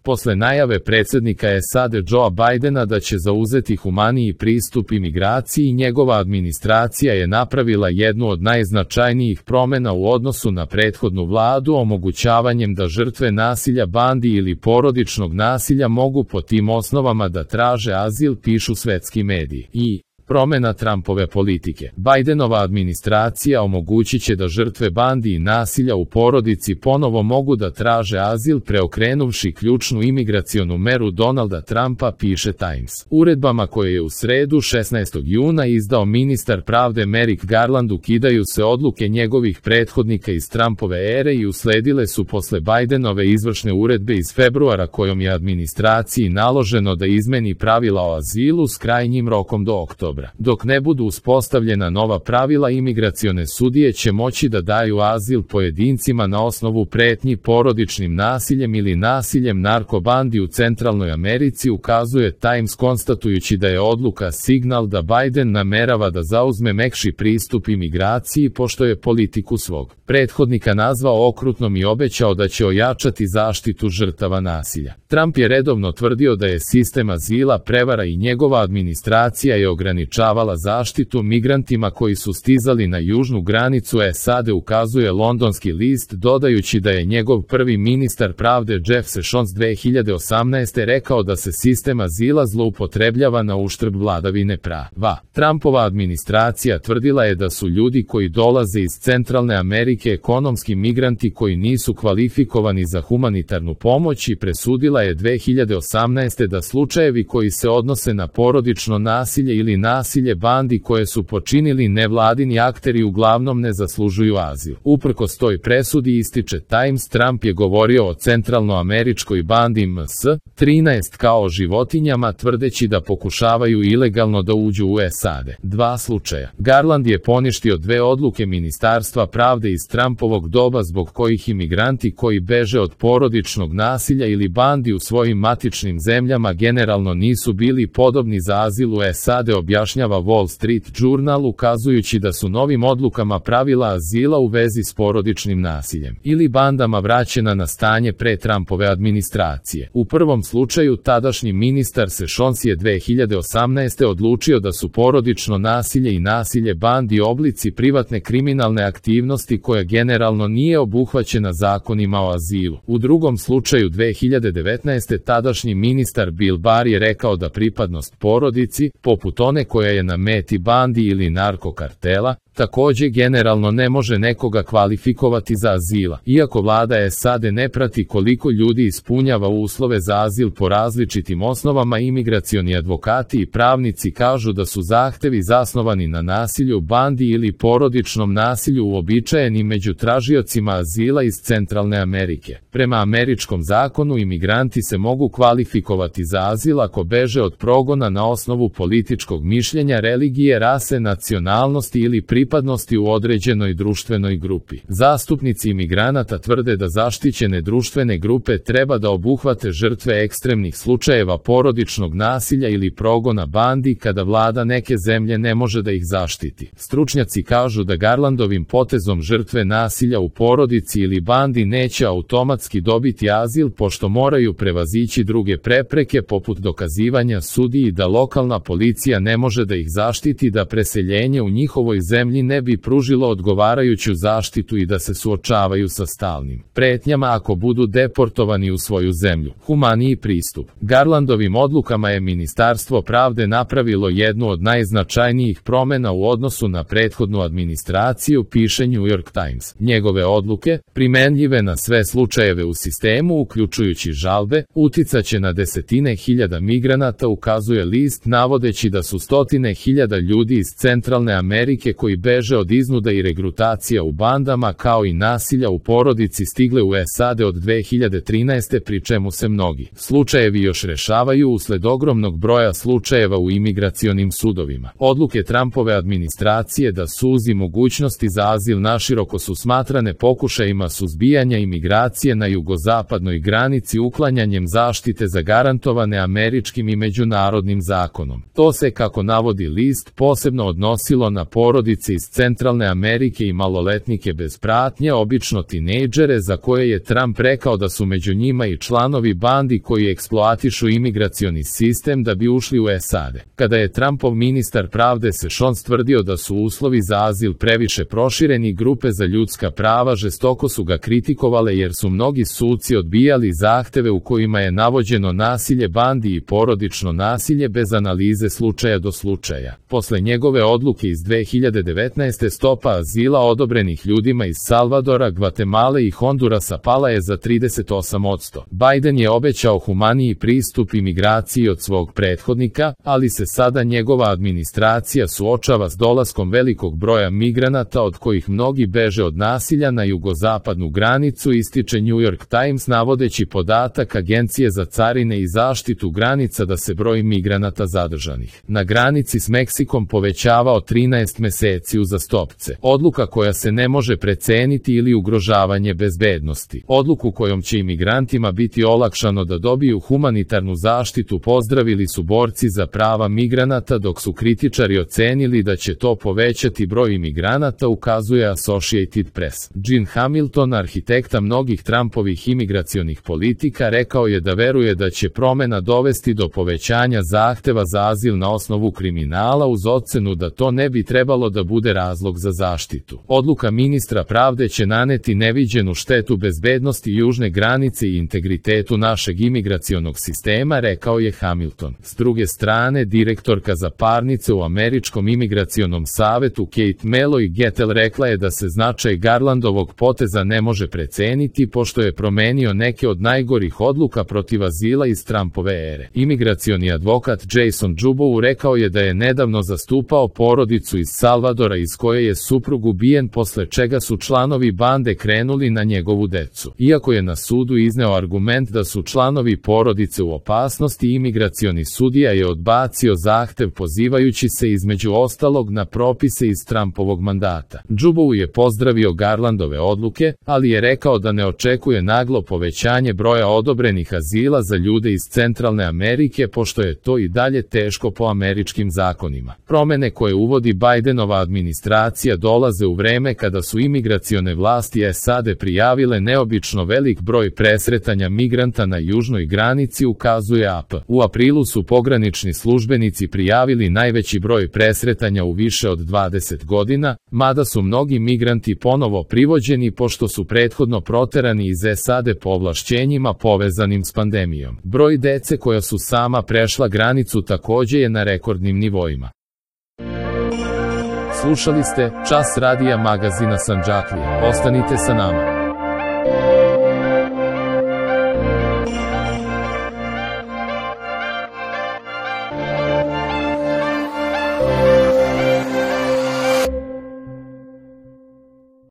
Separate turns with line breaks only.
Posle najave predsjednika SAD Joea Bidena da će zauzeti humaniji pristup imigraciji, njegova administracija je napravila jednu od najznačajnijih promjena u odnosu na prethodnu vladu omogućavanjem da žrtve nasilja, bandi ili porodičnog nasilja mogu po tim osnovama da traže azil, pišu svetski mediji. Promjena Trumpove politike. Bidenova administracija omogućit će da žrtve bandi i nasilja u porodici ponovo mogu da traže azil preokrenuvši ključnu imigracionu meru Donalda Trumpa, piše Times. Uredbama koje je u sredu 16. juna izdao ministar pravde Merrick Garland ukidaju se odluke njegovih prethodnika iz Trumpove ere i usledile su posle Bidenove izvršne uredbe iz februara kojom je administraciji naloženo da izmeni pravila o azilu s krajnjim rokom do oktobra. Dok ne budu uspostavljena nova pravila, imigracione sudije će moći da daju azil pojedincima na osnovu pretnji porodičnim nasiljem ili nasiljem narkobandi u Centralnoj Americi, ukazuje Times, konstatujući da je odluka signal da Biden namerava da zauzme mekši pristup imigraciji pošto je politiku svog prethodnika nazvao okrutnom i obećao da će ojačati zaštitu žrtava nasilja. Trump je redovno tvrdio da je sistem azila prevara i njegova administracija je ograničavala zaštitu migrantima koji su stizali na južnu granicu SAD, ukazuje londonski list, dodajući da je njegov prvi ministar pravde Jeff Sessions 2018. rekao da se sistem azila zloupotrebljava na uštrb vladavine prava. Trumpova administracija tvrdila je da su ljudi koji dolaze iz Centralne Amerike ekonomski migranti koji nisu kvalifikovani za humanitarnu pomoć i presudila je 2018. da slučajevi koji se odnose na porodično nasilje ili nasilje bandi koje su počinili nevladini akteri uglavnom ne zaslužuju azil. Uprkos toj presudi, ističe Times, Trump je govorio o centralnoameričkoj bandi MS-13 kao o životinjama, tvrdeći da pokušavaju ilegalno da uđu u SAD. Dva slučaja. Garland je poništio dve odluke Ministarstva pravde iz Trumpovog doba zbog kojih imigranti koji beže od porodičnog nasilja ili bandi u svojim matičnim zemljama generalno nisu bili podobni za azil u SAD, objašnjava Wall Street Journal, ukazujući da su novim odlukama pravila azila u vezi s porodičnim nasiljem ili bandama vraćena na stanje pre Trumpove administracije. U prvom slučaju tadašnji ministar Sessions je 2018. odlučio da su porodično nasilje i nasilje bandi oblici privatne kriminalne aktivnosti koja generalno nije obuhvaćena zakonima o azilu. U drugom slučaju 2019. tadašnji ministar Bill Barr je rekao da pripadnost porodici, poput one koja je na meti bandi ili narkokartela, takođe generalno ne može nekoga kvalifikovati za azila. Iako vlada SAD ne prati koliko ljudi ispunjava uslove za azil po različitim osnovama, imigracioni advokati i pravnici kažu da su zahtevi zasnovani na nasilju bandi ili porodičnom nasilju uobičajeni među tražiocima azila iz Centralne Amerike. Prema američkom zakonu imigranti se mogu kvalifikovati za azil ako beže od progona na osnovu političkog mišljenja, religije, rase, nacionalnosti ili pripadnosti u određenoj društvenoj grupi. Zastupnici imigranata tvrde da zaštićene društvene grupe treba da obuhvate žrtve ekstremnih slučajeva porodičnog nasilja ili progona bandi kada vlada neke zemlje ne može da ih zaštiti. Stručnjaci kažu da Garlandovim potezom žrtve nasilja u porodici ili bandi neće automatski dobiti azil pošto moraju prevazići druge prepreke poput dokazivanja sudiji da lokalna policija ne može da ih zaštiti, da preseljenje u njihovoj zemlji ne bi pružilo odgovarajuću zaštitu i da se suočavaju sa stalnim pretnjama ako budu deportovani u svoju zemlju. Humaniji pristup. Garlandovim odlukama je Ministarstvo pravde napravilo jednu od najznačajnijih promjena u odnosu na prethodnu administraciju, piše New York Times. Njegove odluke, primenljive na sve slučajeve u sistemu, uključujući žalbe, uticaće na desetine hiljada migranata, ukazuje list, navodeći da su stotine hiljada ljudi iz Centralne Amerike koji beže od iznuda i regrutacija u bandama kao i nasilja u porodici stigle u SAD od 2013. pri čemu se mnogi slučajevi još rešavaju usled ogromnog broja slučajeva u imigracionim sudovima. Odluke Trumpove administracije da suzi mogućnosti za azil naširoko su smatrane pokušajima suzbijanja imigracije na jugozapadnoj granici uklanjanjem zaštite zagarantovane američkim i međunarodnim zakonom. To se, kako navodi list, posebno odnosilo na porodice iz Centralne Amerike i maloletnike bez pratnje, obično tinejdžere za koje je Trump rekao da su među njima i članovi bandi koji eksploatišu imigracioni sistem da bi ušli u SAD. Kada je Trumpov ministar pravde Sessions tvrdio da su uslovi za azil previše prošireni, grupe za ljudska prava žestoko su ga kritikovale jer su mnogi suci odbijali zahteve u kojima je navođeno nasilje bandi i porodično nasilje bez analize slučaja do slučaja. Posle njegove odluke iz 2019. stopa azila odobrenih ljudima iz Salvadora, Gvatemale i Hondurasa pala je za 38%. Biden je obećao humaniji pristup imigraciji od svog prethodnika, ali se sada njegova administracija suočava s dolaskom velikog broja migranata od kojih mnogi beže od nasilja na jugozapadnu granicu, ističe New York Times navodeći podatak Agencije za carine i zaštitu granica da se broj migranata zadržanih na granici s Meksikom povećavao 13 meseci uzastopce. Odluka koja se ne može preceniti ili ugrožavanje bezbednosti. Odluku kojom će imigrantima biti olakšano da dobiju humanitarnu zaštitu pozdravili su borci za prava migranata, dok su kritičari ocenili da će to povećati broj imigranata, ukazuje Associated Press. Gene Hamilton, arhitekta mnogih Trumpovih imigracionih politika, rekao je da veruje da će promena dovesti do povećanja zahteva za azil na osnovu kriminala, uz ocenu da to ne bi trebalo da bude razlog za zaštitu. Odluka ministra pravde će naneti neviđenu štetu bezbednosti južne granice i integritetu našeg imigracionog sistema, rekao je Hamilton. S druge strane, direktorka za parnice u Američkom imigracionom savetu Kate Malloy Gettel rekla je da se značaj Garlandovog poteza ne može preceniti pošto je promenio neke od najgorih odluka protiv azila iz Trumpove ere. Imigracioni advokat Jason Jubow rekao je da je nedavno zastupao porodicu iz Salvadora iz koje je suprug ubijen, posle čega su članovi bande krenuli na njegovu decu. Iako je na sudu izneo argument da su članovi porodice u opasnosti, imigracioni sudija je odbacio zahtev pozivajući se između ostalog na propise iz Trumpovog mandata. Jubow je pozdravio Garlandove odluke, ali je rekao da ne očekuje naglo povećanje broja odobrenih azila za ljude iz Centralne Amerike pošto je to i dalje teško po američkim zakonima. Promene koje uvodi Bidenova administracija dolaze u vreme kada su imigracione vlasti SAD prijavile neobično velik broj presretanja migranta na južnoj granici, ukazuje AP. U aprilu su pogranični službenici prijavili najveći broj presretanja u više od 20 godina, mada su mnogi migranti ponovo privođeni pošto su prethodno proterani iz SAD po ovlašćenjima povezanim s pandemijom. Broj dece koja su sama prešla granicu takođe je na rekordnim nivoima. Slušali ste Čas radija magazina Sandžaklija. Ostanite sa nama.